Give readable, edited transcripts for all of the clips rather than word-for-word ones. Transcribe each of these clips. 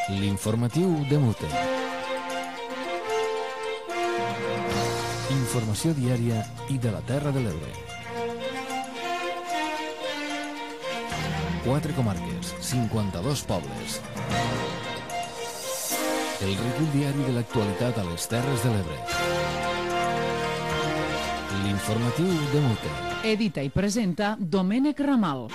L'informatiu de Mute. Informació diària i de la Terra de l'Ebre. 4 comarques, 52 pobles. El recull diari de l'actualitat a les Terres de l'Ebre. L'informatiu de Mute. Edita i presenta Domènec Ramal.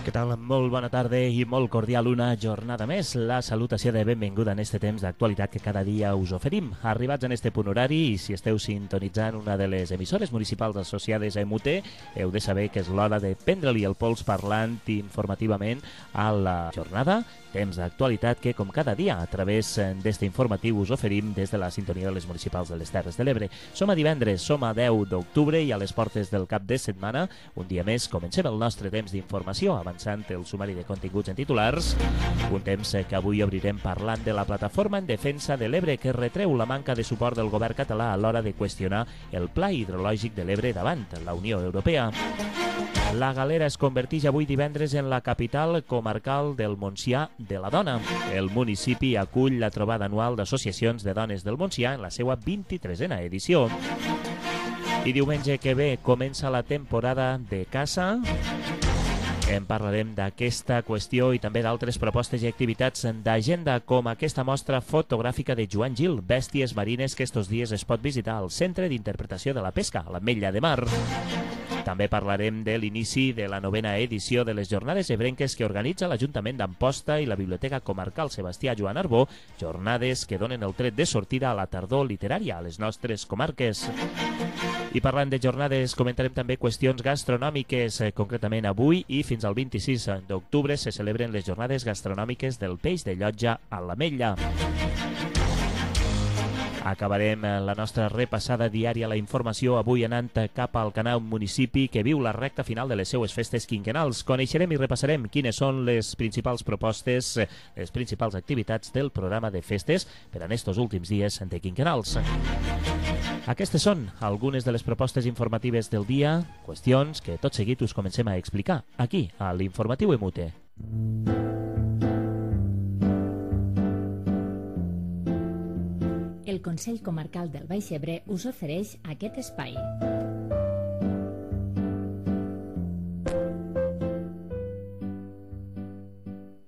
Què tal? Molt bona tarda i molt cordial una jornada més. La salutació de benvinguda en este temps d'actualitat que cada dia us oferim. Arribats en este punt horari, i si esteu sintonitzant una de les emissores municipals associades a MUT, heu de saber que és l'hora de prendre-li el pols parlant informativament a la jornada. Temps d'actualitat que, com cada dia, a través d'este informatiu us oferim des de la sintonia de les municipals de les Terres de l'Ebre. Som a divendres, som a 10 d'octubre i a les portes del cap de setmana. Un dia més comencem el nostre temps d'informació, avançant el sumari de continguts en titulars. Un temps que avui obrirem parlant de la plataforma en defensa de l'Ebre, que retreu la manca de suport del govern català a l'hora de qüestionar el pla hidrològic de l'Ebre davant la Unió Europea. La Galera es converteix avui divendres en la capital comarcal del Montsià de la Dona. El municipi acull la trobada anual d'associacions de dones del Montsià en la seva 23a edició. I diumenge que ve comença la temporada de caça. En parlarem d'aquesta qüestió i també d'altres propostes i activitats d'agenda, com aquesta mostra fotogràfica de Joan Gil, Bèsties marines, que estos dies es pot visitar al Centre d'Interpretació de la Pesca, a l'Ametlla de Mar. També parlarem de l'inici de la 9a edició de les Jornades Ebrenques que organitza l'Ajuntament d'Amposta i la Biblioteca Comarcal Sebastià Joan Arbó, jornades que donen el tret de sortida a la tardor literària a les nostres comarques. I parlant de jornades, comentarem també qüestions gastronòmiques. Concretament avui i fins al 26 d'octubre se celebren les Jornades Gastronòmiques del Peix de Llotja a l'Ametlla. Acabarem la nostra repassada diària a la informació avui anant cap al Canà, un municipi que viu la recta final de les seues festes quinquennals. Coneixerem i repassarem quines són les principals propostes, les principals activitats del programa de festes per en estos últims dies de quinquennals. Aquestes són algunes de les propostes informatives del dia, qüestions que tot seguit us comencem a explicar aquí, a l'Informatiu EMUTE. El Consell Comarcal del Baix Ebre us ofereix aquest espai.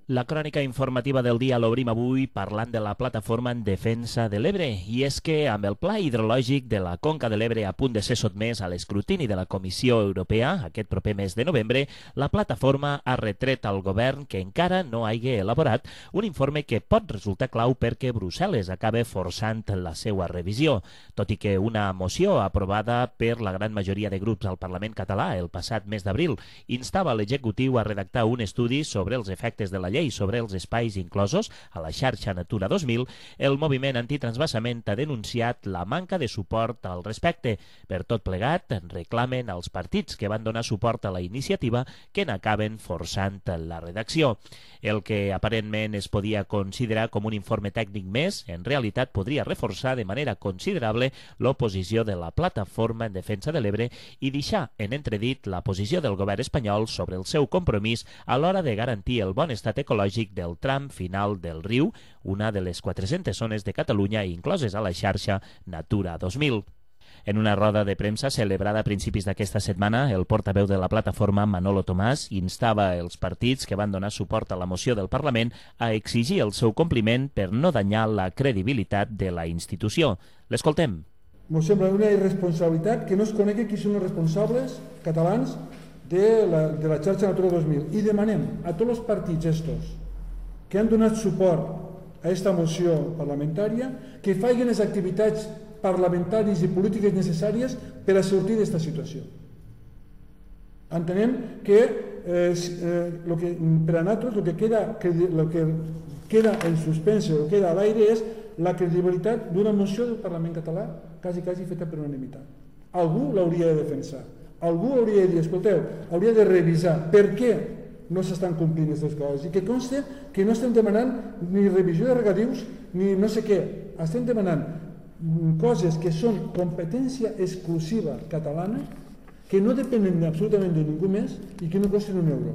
La crònica informativa del dia l'obrim avui parlant de la plataforma en defensa de l'Ebre, i és que amb el pla hidrològic de la Conca de l'Ebre a punt de ser sotmès a l'escrutini de la Comissió Europea aquest proper mes de novembre, la plataforma ha retret al govern que encara no hagi elaborat un informe que pot resultar clau perquè Brussel·les acabe forçant la seva revisió. Tot i que una moció aprovada per la gran majoria de grups al Parlament català el passat mes d'abril instava l'executiu a redactar un estudi sobre els efectes de la llei sobre els espais inclosos a la xarxa Natura 2000, el moviment antitransvasament ha denunciat la manca de suport al respecte. Per tot plegat, reclamen als partits que van donar suport a la iniciativa que n'acaben forçant la redacció. El que aparentment es podia considerar com un informe tècnic més, en realitat podria reforçar de manera considerable l'oposició de la plataforma en defensa de l'Ebre i deixar en entredit la posició del govern espanyol sobre el seu compromís a l'hora de garantir el bon estat ecològic del tram final del riu, una de les 400 zones de Catalunya incloses a la xarxa Natura 2000. En una roda de premsa celebrada a principis d'aquesta setmana, el portaveu de la plataforma, Manolo Tomàs, instava els partits que van donar suport a la moció del Parlament a exigir el seu compliment per no danyar la credibilitat de la institució. L'escoltem. Ens sembla una irresponsabilitat que no es conegui qui són els responsables catalans de la xarxa Natura 2000 i demanem a tots els partits estos que han donat suport a aquesta moció parlamentària que facin les activitats parlamentàries i polítiques necessàries per a sortir d'aquesta situació. Entenem que per a nosaltres el que queda en suspens o queda a l'aire és la credibilitat d'una moció del Parlament català quasi feta per unanimitat. Algú l'hauria de defensar. Algú hauria de dir, escolteu, hauria de revisar per què no s'estan complint aquestes coses i que conste que no estem demanant ni revisió de regadius ni no sé què, estem demanant coses que són competència exclusiva catalana, que no depenen absolutament de ningú més i que no costen un euro.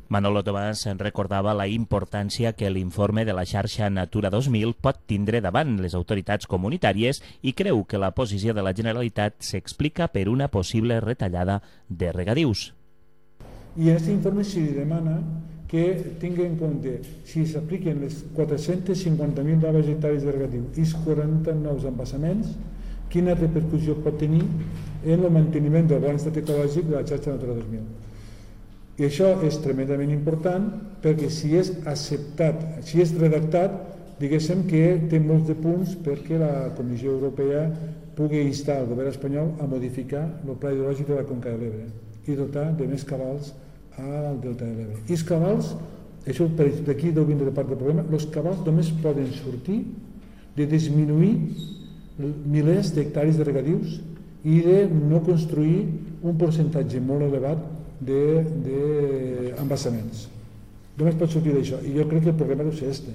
Manolo Tomàs en recordava la importància que l'informe de la xarxa Natura 2000 pot tindre davant les autoritats comunitàries i creu que la posició de la Generalitat s'explica per una possible retallada de regadius. I en aquest informe s'hi demana que tingui en compte si s'apliquen les 450.000 noves hectàrees de regadiu i els 40 nous embassaments, quina repercussió pot tenir en el manteniment del bon estat ecològic de la xarxa Natura 2000. I això és tremendament important perquè si és acceptat, si és redactat, diguéssim que té molts de punts perquè la Comissió Europea pugui instar el govern espanyol a modificar el pla hidrològic de la Conca de l'Ebre i dotar de més cabals al delta de l'Ebre. I els cabals, això d'aquí deu vindre part del problema, els cabals només poden sortir de disminuir milers d'hectàrees de regadius i de no construir un percentatge molt elevat d'embassaments. Només pot sortir d'això, i jo crec que el problema deu ser este.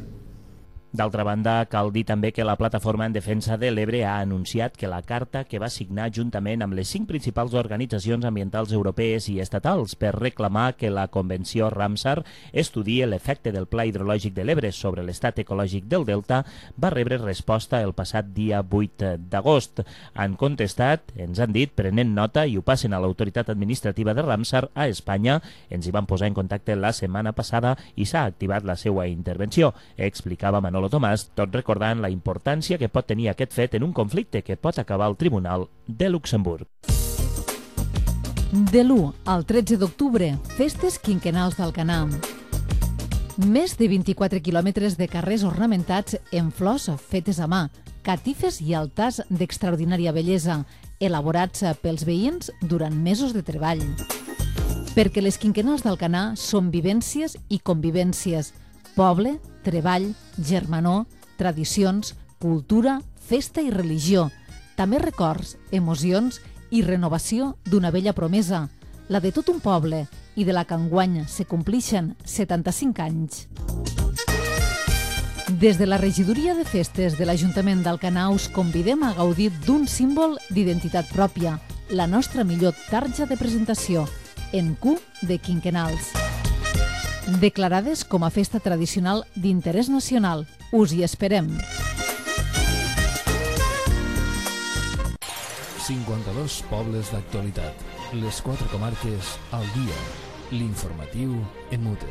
D'altra banda, cal dir també que la Plataforma en Defensa de l'Ebre ha anunciat que la carta que va signar juntament amb les 5 principals organitzacions ambientals europees i estatals per reclamar que la Convenció Ramsar estudie l'efecte del Pla Hidrològic de l'Ebre sobre l'estat ecològic del Delta va rebre resposta el passat dia 8 d'agost. Han contestat, ens han dit, prenent nota i ho passen a l'autoritat administrativa de Ramsar a Espanya. Ens hi van posar en contacte la setmana passada i s'ha activat la seva intervenció, explicava Manolo Tomàs, tot recordant la importància que pot tenir aquest fet en un conflicte que pot acabar al Tribunal de Luxemburg. De l'1 al 13 d'octubre, festes quinquennals d'Alcanar. Més de 24 quilòmetres de carrers ornamentats en flors fetes a mà, catifes i altars d'extraordinària bellesa, elaborats pels veïns durant mesos de treball. Perquè les quinquennals d'Alcanar són vivències i convivències, poble, treball, germanor, tradicions, cultura, festa i religió, també records, emocions i renovació d'una vella promesa, la de tot un poble i de la que enguany se complixen 75 anys. Des de la regidoria de festes de l'Ajuntament d'Alcanar us convidem a gaudir d'un símbol d'identitat pròpia, la nostra millor tarja de presentació, en Q de quinquennals. Declarades com a festa tradicional d'interès nacional. Us hi esperem. 52 pobles d'actualitat. Les 4 comarques al dia. L'informatiu en mute.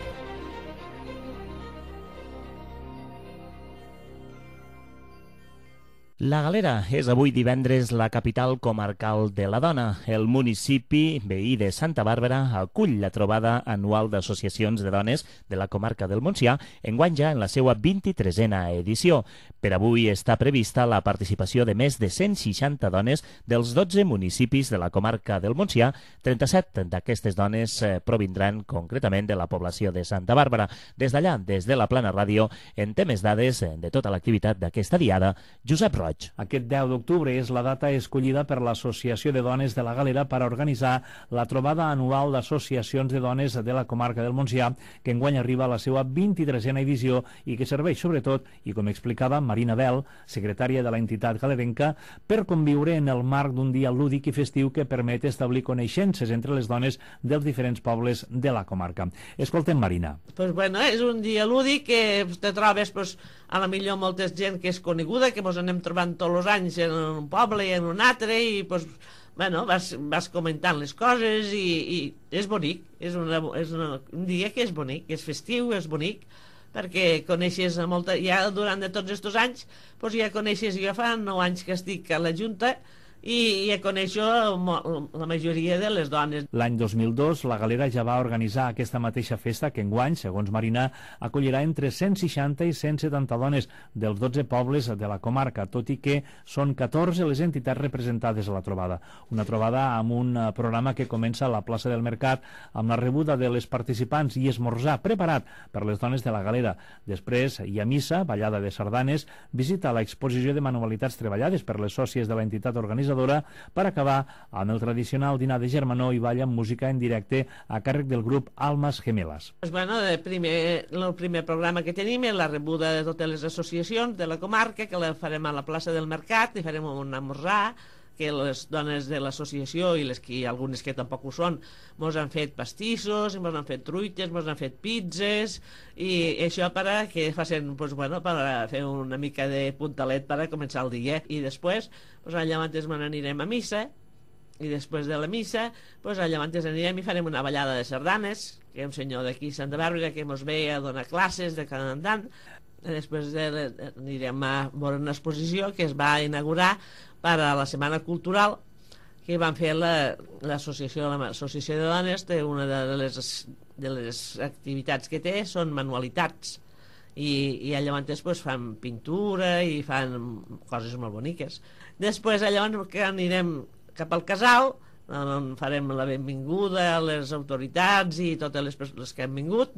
La Galera és avui divendres la capital comarcal de la dona. El municipi veí de Santa Bàrbara acull la trobada anual d'associacions de dones de la comarca del Montsià, enguany ja en la seva 23a edició. Per avui està prevista la participació de més de 160 dones dels 12 municipis de la comarca del Montsià. 37 d'aquestes dones provindran concretament de la població de Santa Bàrbara. Des d'allà, des de la Plana Ràdio, en té més dades de tota l'activitat d'aquesta diada, Josep Roig. Aquest 10 d'octubre és la data escollida per l'Associació de Dones de la Galera per a organitzar la trobada anual d'associacions de dones de la comarca del Montsià, que enguany arriba a la seva 23a edició i que serveix sobretot, i com explicava Marina Bel, secretària de l'entitat galerenca, per conviure en el marc d'un dia lúdic i festiu que permet establir coneixences entre les dones dels diferents pobles de la comarca. Escoltem Marina. Pues bueno, és un dia lúdic que te trobes a la millor molta gent que és coneguda, que ens anem trobant tots els anys en un poble i en un altre, i pues, bueno, vas comentant les coses i és bonic, és un dia que és bonic, és festiu, és bonic, perquè coneixes molta, ja durant de tots aquests anys, pues ja coneixes, jo fa 9 anys que estic a la Junta, i ja coneixo la majoria de les dones. L'any 2002 la Galera ja va organitzar aquesta mateixa festa que enguany, segons Marina, acollirà entre 160 i 170 dones dels 12 pobles de la comarca, tot i que són 14 les entitats representades a la trobada. Una trobada amb un programa que comença a la plaça del Mercat amb la rebuda de les participants i esmorzar preparat per les dones de la Galera. Després hi ha missa, ballada de sardanes, visita a l'exposició de manualitats treballades per les sòcies de l'entitat organitzadora, per acabar amb el tradicional dinar de germanor i ball amb música en directe a càrrec del grup Almas Gemelas. Pues bueno, el primer programa que tenim és la rebuda de totes les associacions de la comarca, que la farem a la plaça del Mercat, i farem un esmorzar, que les dones de l'associació i algunes que tampoc ho són mos han fet pastissos, mos han fet truites, mos han fet pizzas, i això per a que facin, pues, bueno, per a fer una mica de puntalet per a començar el dia. I després, pues, allà abans me n'anirem a missa, i després de la missa, pues, allà abans anirem i farem una ballada de sardanes, que hi ha un senyor d'aquí, Santa Bàrbara, que mos ve a donar classes de tant en tant. Després anirem a veure una exposició que es va inaugurar per a la Setmana Cultural, que van fer l'associació de dones. Una de les activitats que té són manualitats, i llavors pues, fan pintura i fan coses molt boniques. Després llavors que anirem cap al casal, on farem la benvinguda a les autoritats i totes les persones que han vingut,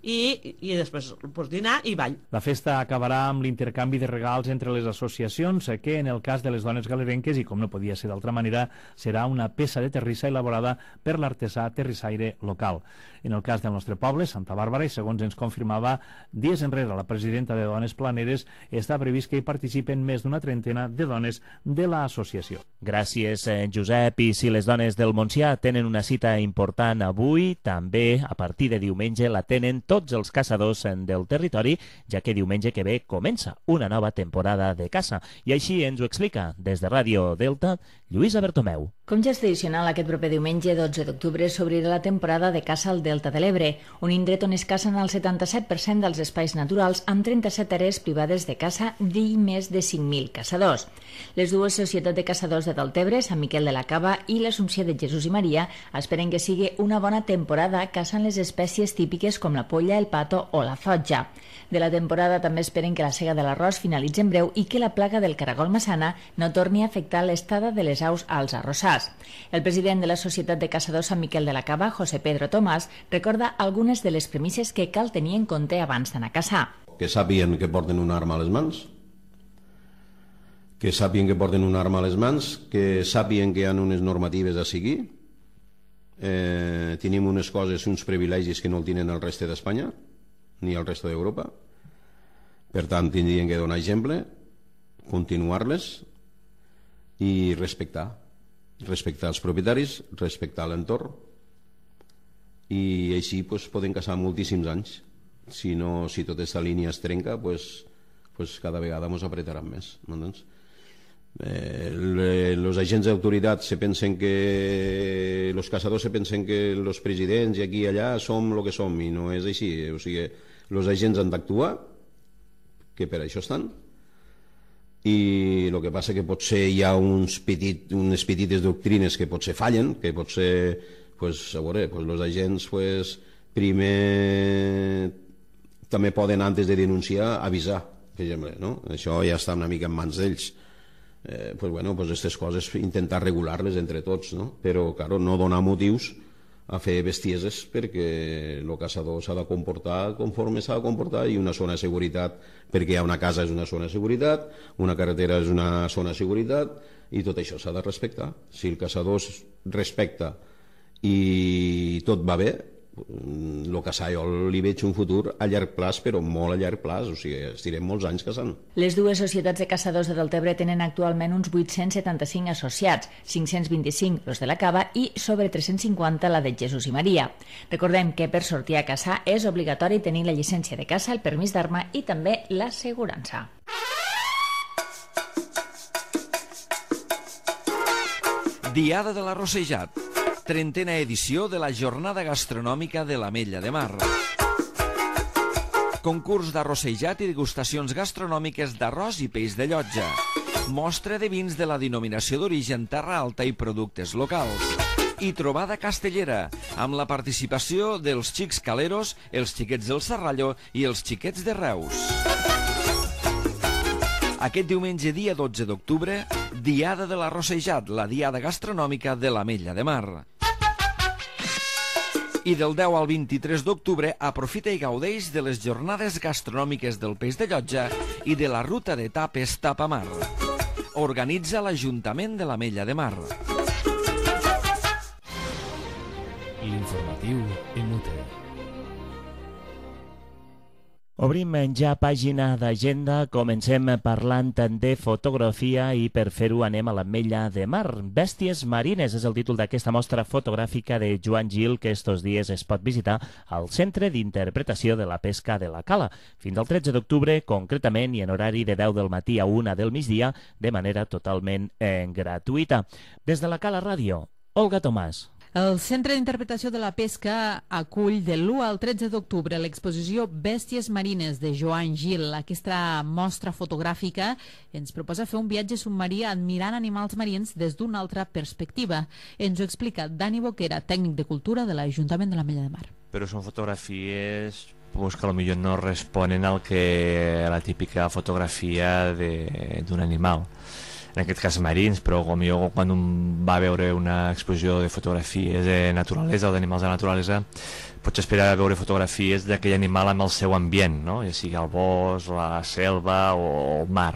i després pues, dinar i ball. La festa acabarà amb l'intercanvi de regals entre les associacions, que en el cas de les dones galerenques, i com no podia ser d'altra manera, serà una peça de terrissa elaborada per l'artesà terrissaire local. En el cas del nostre poble, Santa Bàrbara, i segons ens confirmava dies enrere la presidenta de Dones Planeres, està previst que hi participen més d'una trentena de dones de l'associació. Gràcies, Josep. I si les dones del Montsià tenen una cita important avui, també a partir de diumenge la tenen tots els caçadors del territori, ja que diumenge que ve comença una nova temporada de caça. I així ens ho explica des de Ràdio Delta, Lluïsa Bertomeu. Com ja és tradicional, aquest proper diumenge 12 d'octubre s'obrirà la temporada de caça al Delta de l'Ebre, un indret on es cacen el 77% dels espais naturals, amb 37 àrees privades de caça i més de 5.000 caçadors. Les dues societats de caçadors de Deltebre, Sant Miquel de la Cava i l'Assumpció de Jesús i Maria, esperen que sigui una bona temporada caçant les espècies típiques com la polla, el pato o la fotja. De la temporada també esperen que la sega de l'arròs finalitzi en breu i que la plaga del caragol massana no torni a afectar l'estada de les aus als arrossars. El president de la Societat de Caçadors Sant Miquel de la Cava, José Pedro Tomàs, recorda algunes de les premisses que cal tenir en compte abans d'anar a caçar. Que sàpiguen que porten una arma a les mans, que sàpiguen que sàpiguen que hi ha unes normatives a seguir. Tenim unes coses, uns privilegis que no el tenen el reste d'Espanya ni el reste d'Europa. Per tant, tindrien que donar exemple, continuar-les i respectar els propietaris, respectar l'entorn, i així poden caçar moltíssims anys. Si tota aquesta línia es trenca, cada vegada ens apretaran més. Los agents d'autoritat los caçadors se pensen que los presidents i aquí i allà som el que som, i no és així. O sigui, los agents han d'actuar, que per això estan, i el que passa que potser hi ha unes petites doctrines que potser fallen, que potser, a veure, los agents primer també poden, antes de denunciar, avisar, per exemple, no? Això ja està una mica en mans d'ells. Aquestes coses intentar regular-les entre tots, no? Però, claro, no donar motius a fer bestieses, perquè el caçador s'ha de comportar conforme s'ha de comportar, i una zona de seguretat, perquè hi ha una casa és una zona de seguretat, una carretera és una zona de seguretat, i tot això s'ha de respectar. Si el caçador es respecta i tot va bé, el caçar jo li veig un futur a llarg plaç, però molt a llarg plaç, o sigui, estirem molts anys caçant. Les dues societats de caçadors de Deltebre tenen actualment uns 875 associats, 525 los de la Cava i sobre 350 la de Jesús i Maria. Recordem que per sortir a caçar és obligatori tenir la llicència de caça, el permís d'arma i també l'assegurança. Diada de l'Arrossejat, 30a edició de la Jornada Gastronòmica de l'Ametlla de Mar. Concurs d'arrossejat i degustacions gastronòmiques d'arròs i peix de llotja. Mostra de vins de la denominació d'origen Terra Alta i productes locals. I trobada castellera, amb la participació dels xics caleros, els xiquets del Serrallo i els xiquets de Reus. Aquest diumenge, dia 12 d'octubre, Diada de l'Arrossejat, la diada gastronòmica de l'Ametlla de Mar. I del 10 al 23 d'octubre aprofita i gaudeix de les jornades gastronòmiques del peix de llotja i de la ruta de tapes Tapamar. Organitza l'Ajuntament de l'Ametlla de Mar. L'informatiu Emute. Obrim ja pàgina d'agenda, comencem parlant de fotografia i per fer-ho anem a l'Ametlla de Mar. Bèsties marines és el títol d'aquesta mostra fotogràfica de Joan Gil que estos dies es pot visitar al Centre d'Interpretació de la Pesca de la Cala. Fins al 13 d'octubre, concretament, i en horari de 10 del matí a 1 del migdia, de manera totalment gratuïta. Des de la Cala Ràdio, Olga Tomàs. El Centre d'Interpretació de la Pesca acull de l'1 al 13 d'octubre l'exposició Bèsties marines de Joan Gil. Aquesta mostra fotogràfica ens proposa fer un viatge submarí admirant animals marins des d'una altra perspectiva. Ens ho explica Dani Boquera, tècnic de cultura de l'Ajuntament de l'Ametlla de Mar. Però són fotografies que potser no responen al que a la típica fotografia d'un animal. En aquest cas marins, però potser quan un va a veure una exposició de fotografies de naturalesa o d'animals de naturalesa, pots esperar a veure fotografies d'aquell animal amb el seu ambient, no? Ja sigui el bosc, la selva o el mar.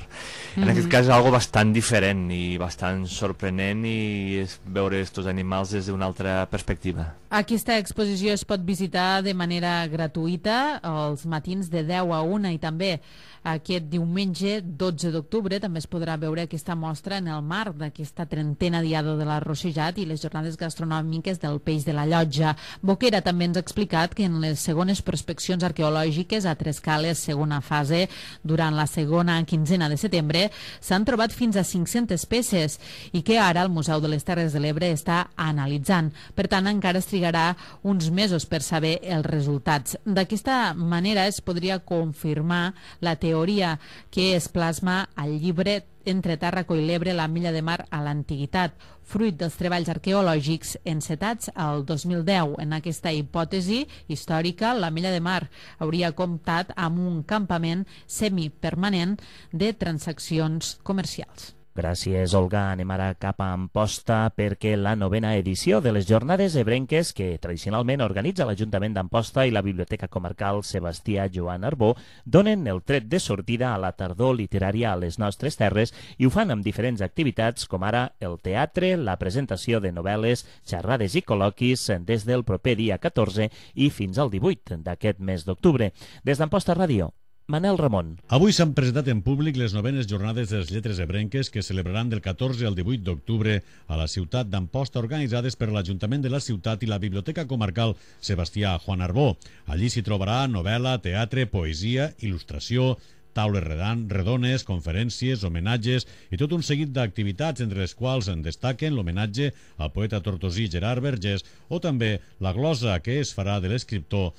En aquest cas és algo bastant diferent i bastant sorprenent i és veure aquests animals des d'una altra perspectiva. Aquesta exposició es pot visitar de manera gratuïta els matins de 10 a 1 i també aquest diumenge 12 d'octubre també es podrà veure aquesta mostra en el marc d'aquesta 30a Diada de l'Arrossejat i les jornades gastronòmiques del peix de la Llotja. Boquera també ens ha explicat que en les segones prospeccions arqueològiques a Trescales, segona fase, durant la segona quinzena de setembre, s'han trobat fins a 500 peces i que ara el Museu de les Terres de l'Ebre està analitzant. Per tant, encara es trigarà uns mesos per saber els resultats. D'aquesta manera es podria confirmar la teoria que es plasma al llibre Entre Tàrraco i l'Ebre, l'Ametlla de Mar a l'Antiguitat, fruit dels treballs arqueològics encetats al 2010. En aquesta hipòtesi històrica, l'Ametlla de Mar hauria comptat amb un campament semipermanent de transaccions comercials. Gràcies, Olga. Anem ara cap a Amposta perquè la 9a edició de les Jornades Ebrenques que tradicionalment organitza l'Ajuntament d'Amposta i la Biblioteca Comarcal Sebastià Joan Arbó donen el tret de sortida a la tardor literària a les nostres terres i ho fan amb diferents activitats com ara el teatre, la presentació de novel·les, xerrades i col·loquis des del proper dia 14 i fins al 18 d'aquest mes d'octubre. Des d'Amposta Ràdio, Manel Ramon. Avui s'han presentat en públic les 9enes jornades de les lletres ebrenques que celebraran del 14 al 18 d'octubre a la ciutat d'Amposta, organitzades per l'Ajuntament de la ciutat i la Biblioteca Comarcal Sebastià Joan Arbó. Allí s'hi trobarà novel·la, teatre, poesia, il·lustració, taules redones, conferències, homenatges i tot un seguit d'activitats, entre les quals en destaquen l'homenatge al poeta tortosí Gerard Vergés o també la glosa que es farà de l'escriptor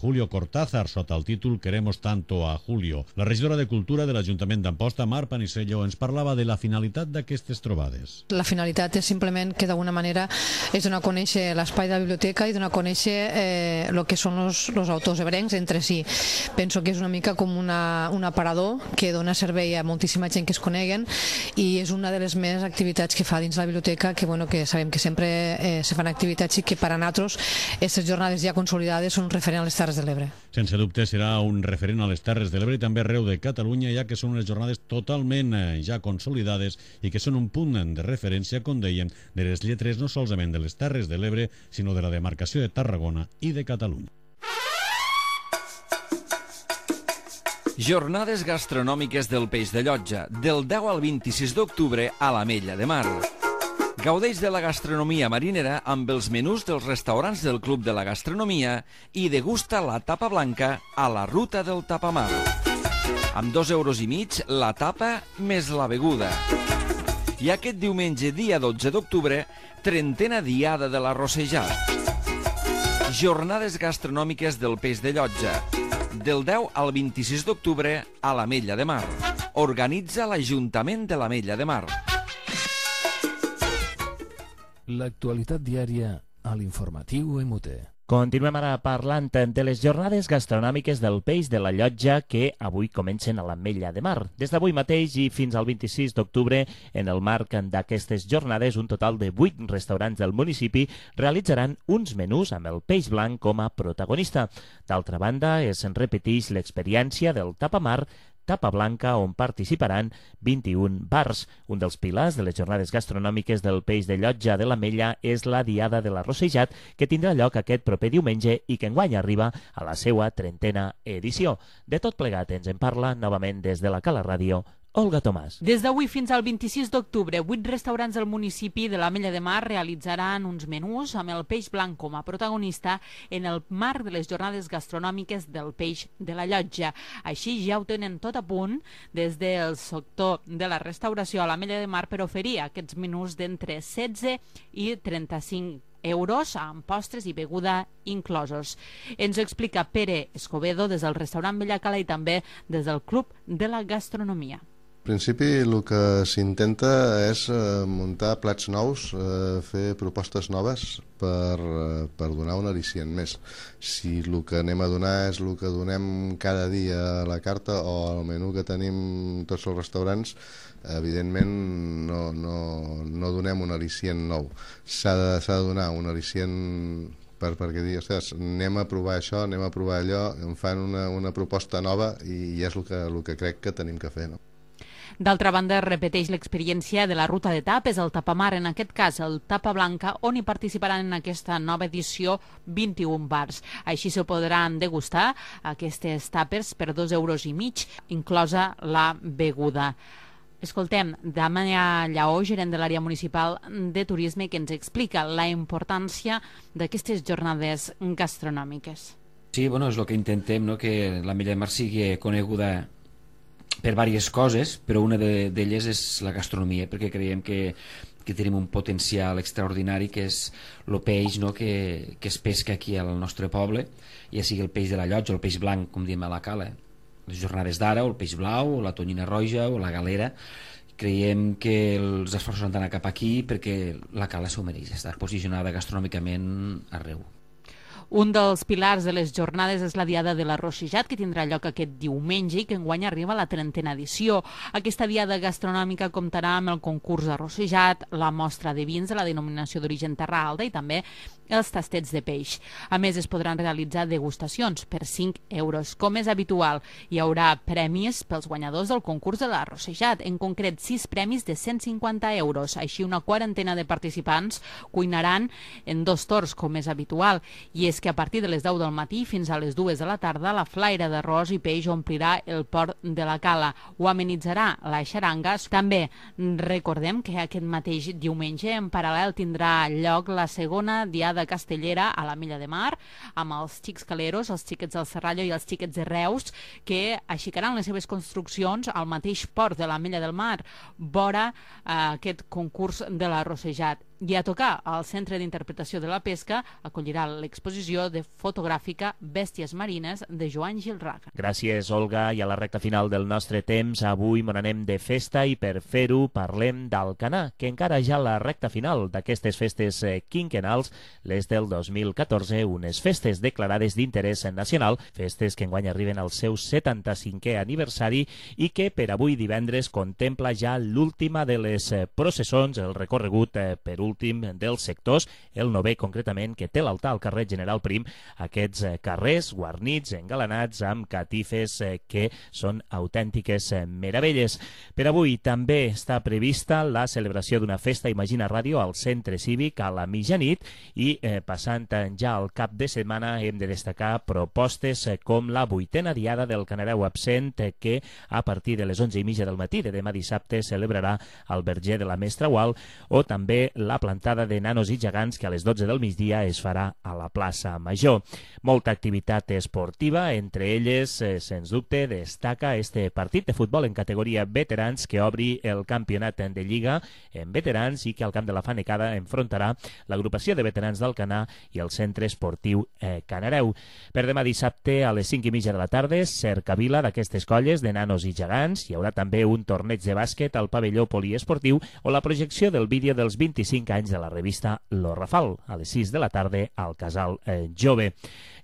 Julio Cortázar sota el títol Queremos tanto a Julio. La regidora de Cultura de l'Ajuntament d'Amposta, Mar Panisello, ens parlava de la finalitat d'aquestes trobades. La finalitat és simplement que d'alguna manera és donar a conèixer l'espai de la biblioteca i donar a conèixer el que són els autors ebrencs entre si. Penso que és una mica com un aparador que dona servei a moltíssima gent que es coneguen i és una de les més activitats que fa dins la biblioteca que sabem que sempre se fan activitats i que per a nosaltres aquestes jornades ja consolidades són un referent a les Terres de l'Ebre. Sense dubte serà un referent a les Terres de l'Ebre i també arreu de Catalunya, ja que són unes jornades totalment ja consolidades i que són un punt de referència, com dèiem, de les lletres no solament de les Terres de l'Ebre, sinó de la demarcació de Tarragona i de Catalunya. Jornades gastronòmiques del Peix de Llotja, del 10 al 26 d'octubre a l'Ametlla de Mar. Gaudeix de la gastronomia marinera amb els menús dels restaurants del Club de la Gastronomia i degusta la tapa blanca a la ruta del tapamar. Amb 2,5 € la tapa més la beguda. I aquest diumenge, dia 12 d'octubre, 30a Diada de l'Arrossejat. Jornades gastronòmiques del Peix de Llotja, del 10 al 26 d'octubre a l'Ametlla de Mar. Organitza l'Ajuntament de l'Ametlla de Mar. L'actualitat diària a l'informatiu MUT. Continuem ara parlant de les jornades gastronòmiques del Peix de la Llotja que avui comencen a l'Ametlla de Mar. Des d'avui mateix i fins al 26 d'octubre, en el marc d'aquestes jornades, un total de 8 restaurants del municipi realitzaran uns menús amb el peix blanc com a protagonista. D'altra banda, es repeteix l'experiència del tapamar Tapa Blanca, on participaran 21 bars. Un dels pilars de les jornades gastronòmiques del Peix de Llotja de l'Ametlla és la Diada de l'Arrossejat, que tindrà lloc aquest proper diumenge i que enguany arriba a la seva 30a edició. De tot plegat ens en parla novament des de la Cala Ràdio Olga Tomàs. Des d'avui fins al 26 d'octubre, 8 restaurants del municipi de l'Ametlla de Mar realitzaran uns menús amb el peix blanc com a protagonista en el marc de les jornades gastronòmiques del Peix de la Llotja. Així ja ho tenen tot a punt des del sector de la restauració a l'Ametlla de Mar per oferir aquests menús d'entre 16 i 35 euros amb postres i beguda inclosos. Ens ho explica Pere Escobedo des del restaurant Bellacala i també des del Club de la Gastronomia. En principi el que s'intenta és muntar plats nous, fer propostes noves per donar un al·licient més. Si el que anem a donar és el que donem cada dia a la carta o al menú que tenim tots els restaurants, evidentment no donem un al·licient nou. S'ha de donar un al·licient perquè digui, ostres, anem a provar això, anem a provar allò, em fan una proposta nova i és el que crec que tenim que fer, no? D'altra banda, repeteix l'experiència de la ruta de tapes, el tapamar, en aquest cas el Tapa Blanca, on hi participaran en aquesta nova edició 21 bars. Així se podran degustar aquestes tapes per 2,5 euros, inclosa la beguda. Escoltem Damià Lleó, gerent de l'àrea municipal de turisme, que ens explica la importància d'aquestes jornades gastronòmiques. Sí, és el que intentem, que l'Ametlla de Mar sigui coneguda per diverses coses, però una d'elles és la gastronomia, perquè creiem que tenim un potencial extraordinari, que és el peix que es pesca aquí al nostre poble, ja sigui el peix de la Llotja o el peix blanc, com diem a la Cala. Les jornades d'ara, o el peix blau, o la tonyina roja, o la galera. Creiem que els esforços han d'anar cap aquí perquè la Cala s'ho mereix, estar posicionada gastronòmicament arreu. Un dels pilars de les jornades és la Diada de l'Arrossejat, que tindrà lloc aquest diumenge i que enguany arriba a la 30a edició. Aquesta diada gastronòmica comptarà amb el concurs d'arrossejat, la mostra de vins de la denominació d'origen Terra Alta i també els tastets de peix. A més, es podran realitzar degustacions per 5 euros. Com és habitual, hi haurà premis pels guanyadors del concurs de l'arrossejat, en concret 6 premis de 150 euros. Així, una quarantena de participants cuinaran en 2 torns, com és habitual, i és que a partir de les 10 del matí fins a les 2 de la tarda la flaire d'arròs i peix omplirà el port de la Cala. Ho amenitzarà la xaranga. També recordem que aquest mateix diumenge en paral·lel tindrà lloc la segona diada castellera a l'Ametlla de Mar, amb els xics caleros, els xiquets del Serrallo i els xiquets de Reus, que aixecaran les seves construccions al mateix port de l'Ametlla del Mar, vora aquest concurs de l'arrossejat. I a tocar al Centre d'Interpretació de la Pesca acollirà l'exposició de fotogràfica Bèsties Marines de Joan Gilraga. Gràcies, Olga. I a la recta final del nostre temps, avui me n'anem de festa i per fer-ho parlem d'Alcanar, que encara ja a la recta final d'aquestes festes quinquenals, les del 2014, unes festes declarades d'interès nacional, festes que enguany arriben al seu 75è aniversari i que per avui divendres contempla ja l'última de les processons, el recorregut per últim dels sectors, el 9è concretament, que té l'altar al carrer General Prim, aquests carrers guarnits, engalanats amb catifes que són autèntiques meravelles. Per avui també està prevista la celebració d'una festa Imagina Ràdio al Centre Cívic a la mitjanit i passant ja al cap de setmana hem de destacar propostes com la 8a diada del Canareu absent que a partir de les 11:30 del matí de demà dissabte celebrarà al Verger de la Mestra Gual, o també la plantada de nanos i gegants que a les 12 del migdia es farà a la plaça Major. Molta activitat esportiva, entre elles, sens dubte, destaca este partit de futbol en categoria veterans que obri el campionat de Lliga en veterans i que al camp de la Fanecada enfrontarà l'agrupació de veterans d'Alcanar i el Centre Esportiu Canareu. Per demà dissabte a les 5:30 de la tarda, cercavila d'aquestes colles de nanos i gegants. Hi haurà també un torneig de bàsquet al pavelló poliesportiu o la projecció del vídeo dels 25 25 anys de la revista Lo Rafal, a les 6 de la tarda al Casal Jove.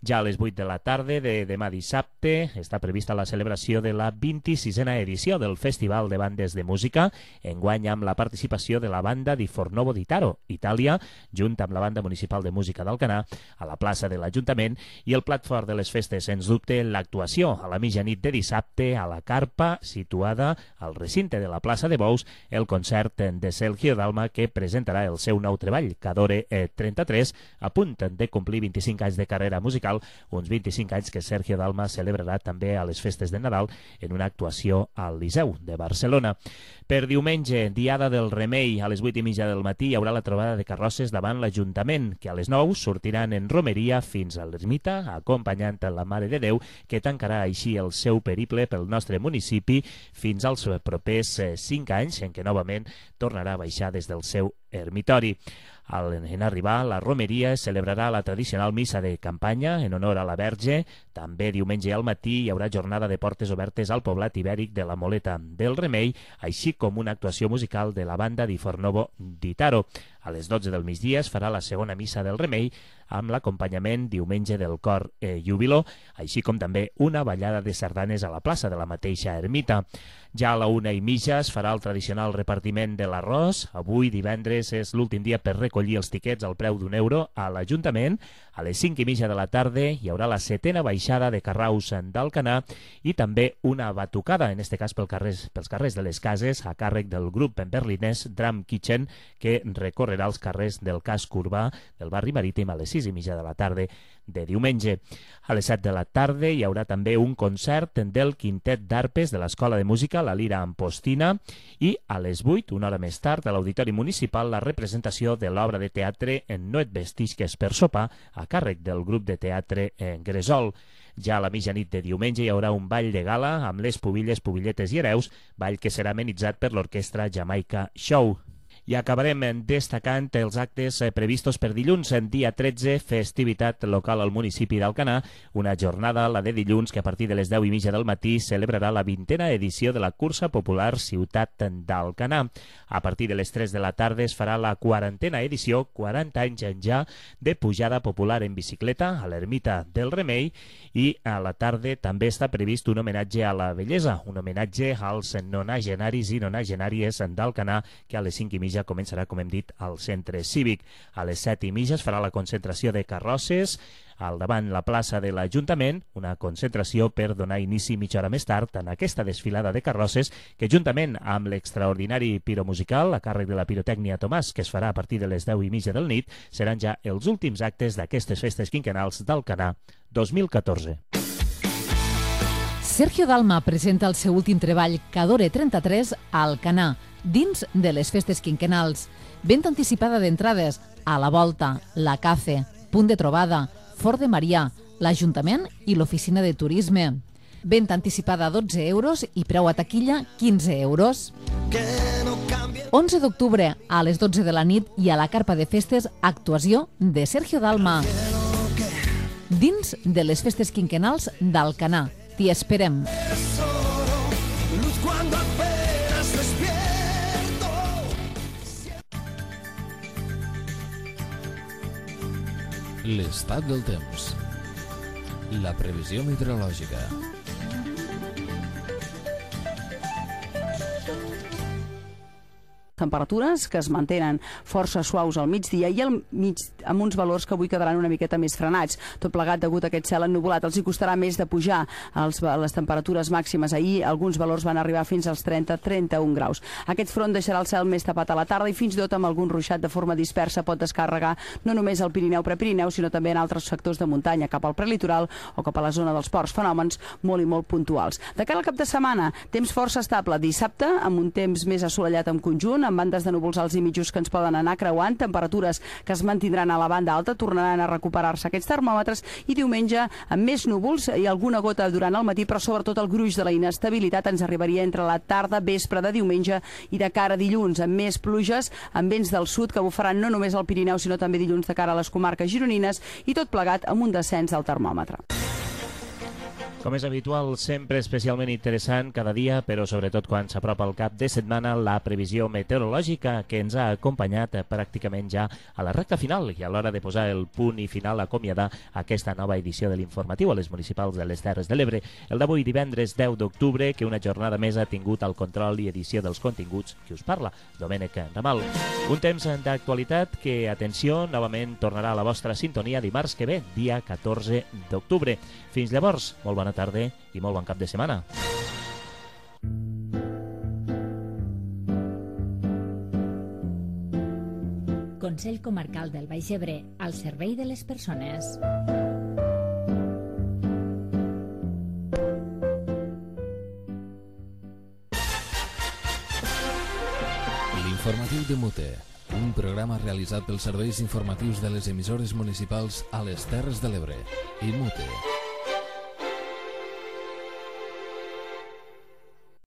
Ja a les 8 de la tarda de demà dissabte està prevista la celebració de la 26a edició del Festival de Bandes de Música, enguany amb la participació de la banda di Fornovo di Taro, Itàlia, junt amb la Banda Municipal de Música d'Alcanar, a la plaça de l'Ajuntament, i el plat fort de les festes, sens dubte, l'actuació a la mitjanit de dissabte a la carpa situada al recinte de la plaça de Bous, el concert de Sergio Dalma, que presentarà el seu nou treball, Cadore 33, a punt de complir 25 anys de carrera musical, uns 25 anys que Sergio Dalma celebrarà també a les festes de Nadal en una actuació al Liceu de Barcelona. Per diumenge, Diada del Remei, a les 8:30 del matí hi haurà la trobada de carrosses davant l'Ajuntament, que a les 9 sortiran en romeria fins a l'ermita, acompanyant la Mare de Déu, que tancarà així el seu periple pel nostre municipi fins als propers 5 anys, en què novament tornarà a baixar des del seu ermitori. En arribar, la romeria celebrarà la tradicional missa de campanya en honor a la Verge. També diumenge al matí hi haurà jornada de portes obertes al poblat ibèric de la Moleta del Remei, així com una actuació musical de la banda di Fornovo di Taro. A les 12 del migdia es farà la segona missa del Remei amb l'acompanyament diumenge del cor Júbilo, així com també una ballada de sardanes a la plaça de la mateixa ermita. Ja a la 1:30 es farà el tradicional repartiment de l'arròs. Avui, divendres, és l'últim dia per recollir els tiquets al preu d'€1 a l'Ajuntament. A les 5:30 de la tarda hi haurà la 7a baixada de carraus d'Alcanar i també una batucada, en aquest cas pels carrers de les cases, a càrrec del grup berlinès Drum Kitchen, que recorrerà els carrers del casc urbà del barri marítim a les 6:30 de la tarda de diumenge. A les 7 de la tarda hi haurà també un concert del quintet d'arpes de l'Escola de Música, la Lira Ampostina, i a les 8, una hora més tard, a l'Auditori Municipal, la representació de l'obra de teatre No et vestisques per sopar, a càrrec del grup de teatre Gresol. Ja a la mitjanit de diumenge hi haurà un ball de gala amb les pubilles, pubilletes i hereus, ball que serà amenitzat per l'orquestra Jamaica Show. I acabarem destacant els actes previstos per dilluns, en dia 13, festivitat local al municipi d'Alcanar, una jornada, la de dilluns, que a partir de les 10:30 del matí celebrarà la 20a edició de la cursa popular Ciutat d'Alcanar. A partir de les 3 de la tarda es farà la 40a edició, 40 anys ja, de pujada popular en bicicleta a l'ermita del Remei, i a la tarda també està previst un homenatge a la bellesa, un homenatge als nonagenaris i nonagenàries d'Alcanar, que a les 5:30 començarà, com hem dit, al centre cívic. A les 7:30 es farà la concentració de carrosses al davant la plaça de l'Ajuntament, una concentració per donar inici mitja hora més tard en aquesta desfilada de carrosses que, juntament amb l'extraordinari piromusical a càrrec de la pirotècnia Tomàs, que es farà a partir de les 10:30 del nit, seran ja els últims actes d'aquestes festes quinquennals d'Alcanar 2014. Sergio Dalma presenta el seu últim treball, Cadore 33, a Alcanar, dins de les festes quinquennals. Venda anticipada d'entrades a la Volta, la Cafe, Punt de Trobada, Fort de Marià, l'Ajuntament i l'Oficina de Turisme. Venda anticipada a €12 i preu a taquilla €15. 11 d'octubre, a les 12 de la nit, i a la carpa de festes, actuació de Sergio Dalma. Dins de les festes quinquennals d'Alcanar. T'hi esperem. L'estat del temps. La previsió meteorològica. Temperatures que es mantenen força suaus al migdia i al mig amb uns valors que avui quedaran una miqueta més frenats. Tot plegat degut a aquest cel ennuvolat. Els hi costarà més de pujar les temperatures màximes. Ahir alguns valors van arribar fins als 30-31 graus. Aquest front deixarà el cel més tapat a la tarda i fins i tot amb algun ruixat de forma dispersa pot descàrrega no només al Pirineu-Prepirineu, sinó també en altres sectors de muntanya, cap al prelitoral o cap a la zona dels ports. Fenòmens molt i molt puntuals. De cara al cap de setmana, temps força estable. Dissabte, amb un temps més assolellat en conjunt, amb bandes de núvols alts i mitjos que ens poden anar creuant, temperatures que es mantindran a la banda alta, tornaran a recuperar-se aquests termòmetres, i diumenge amb més núvols i alguna gota durant el matí, però sobretot el gruix de la inestabilitat ens arribaria entre la tarda, vespre de diumenge i de cara a dilluns, amb més pluges, amb vents del sud que bufaran no només al Pirineu, sinó també dilluns de cara a les comarques gironines, i tot plegat amb un descens del termòmetre. Com és habitual, sempre especialment interessant cada dia, però sobretot quan s'apropa el cap de setmana, la previsió meteorològica que ens ha acompanyat pràcticament ja a la recta final i a l'hora de posar el punt i final acomiadar aquesta nova edició de l'informatiu a les municipals de les Terres de l'Ebre, el d'avui divendres 10 d'octubre, que una jornada més ha tingut el control i edició dels continguts qui us parla, Domènec Ramal. Un temps d'actualitat que, atenció, novament tornarà a la vostra sintonia dimarts que ve, dia 14 d'octubre. Fins llavors, molt bona tarda i molt bon cap de setmana. Consell Comarcal del Baix Ebre, al servei de les persones. L'informatiu de Mute, un programa realitzat pels serveis informatius de les emissores municipals a les Terres de l'Ebre i Mute.